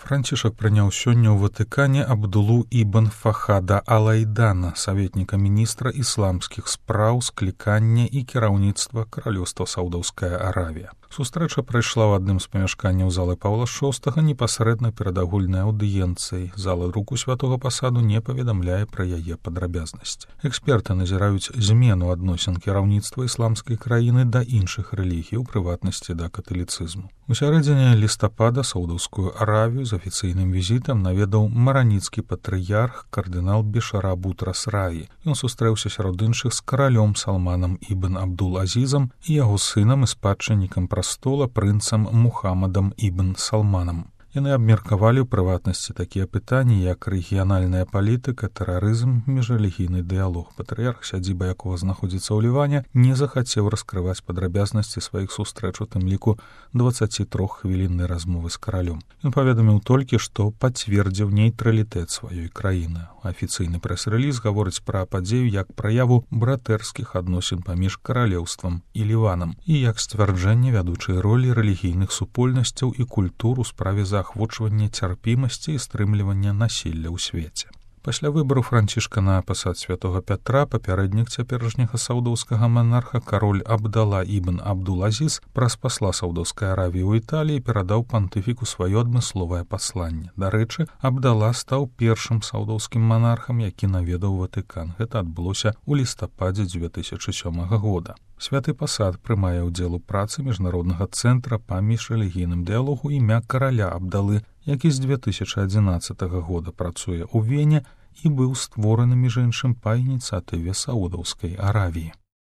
Францішак прыняў сёння ў Ватыкане Абдулу ібн Фахада Алайдана, саветніка міністра ісламскіх спраў, склікання і кіраўніцтва каралёўства Саўдаўская Аравія. Сустрэча прайшла ў адным з памяшканняў залы Паўла VI непасрэдна перад агульнай аўдыенцыяй. Зала друку святога пасаду не паведамляе пра яе падрабязнасці. Эксперты назіраюць змену адносін кіраўніцтва ісламскай краіны да іншых рэлігій, у прыватнасці да каталіцызму. У сярэдзіне лістапада Саўдаўскую Аравію з афіцыйным візітам наведаў мараніцкі патрыярх кардынал Бешара Бутрас Раі. Ён сустрэўся сярод іншых з каралём Салманам ібн Абдул-Азізам і яго сынам і спадчыннікам прастола прынцам Мухаммадам ібн Салманам. Яны абмеркавалі ў прыватнасці такія пытанні, як рэгіянальная палітыка, тэрарызм, міжрэлігійны дыялог. Патрыярх, сядзіба якога знаходзіцца ў Ліване, не захацеў раскрываць падрабязнасці сваіх сустрэч, у тым ліку 23-хвіліннай размовы з каралём. Ён паведаміў толькі, што пацвердзіў нейтралітэт сваёй краіны. Афіцыйны прэс-рэліз гаворыць пра падзею як праяву братэрскіх адносін паміж каралеўствам і Ліванам і як сцвярджэнне вядучай ролі рэлігійных супольнасцяў і культур у справе заахвочвання цярпімасці і стрымлівання насілля ў свеце. Пасля выбару Францішка на пасад святога Пятра папярэднік цяперашняга саўдаўскага манарха кароль Абдала ібн Абдул-Азіз праз пасла Саўдаўскай Аравіі ў Італіі перадаў пантыфіку сваё адмысловае пасланне. Дарэчы, Абдала стаў першым саўдаўскім манархам, які наведаў Ватыкан. Гэта адбылося ў лістападзе 2007 года. Святы пасад прымае ўдзел у працы міжнароднага цэнтра па міжрэлігійным дыялогу імя караля Абдалы, які з 2011 года працуе ў Вене і быў створаны, між іншым, па ініцыятыве Саудаўскай Аравіі.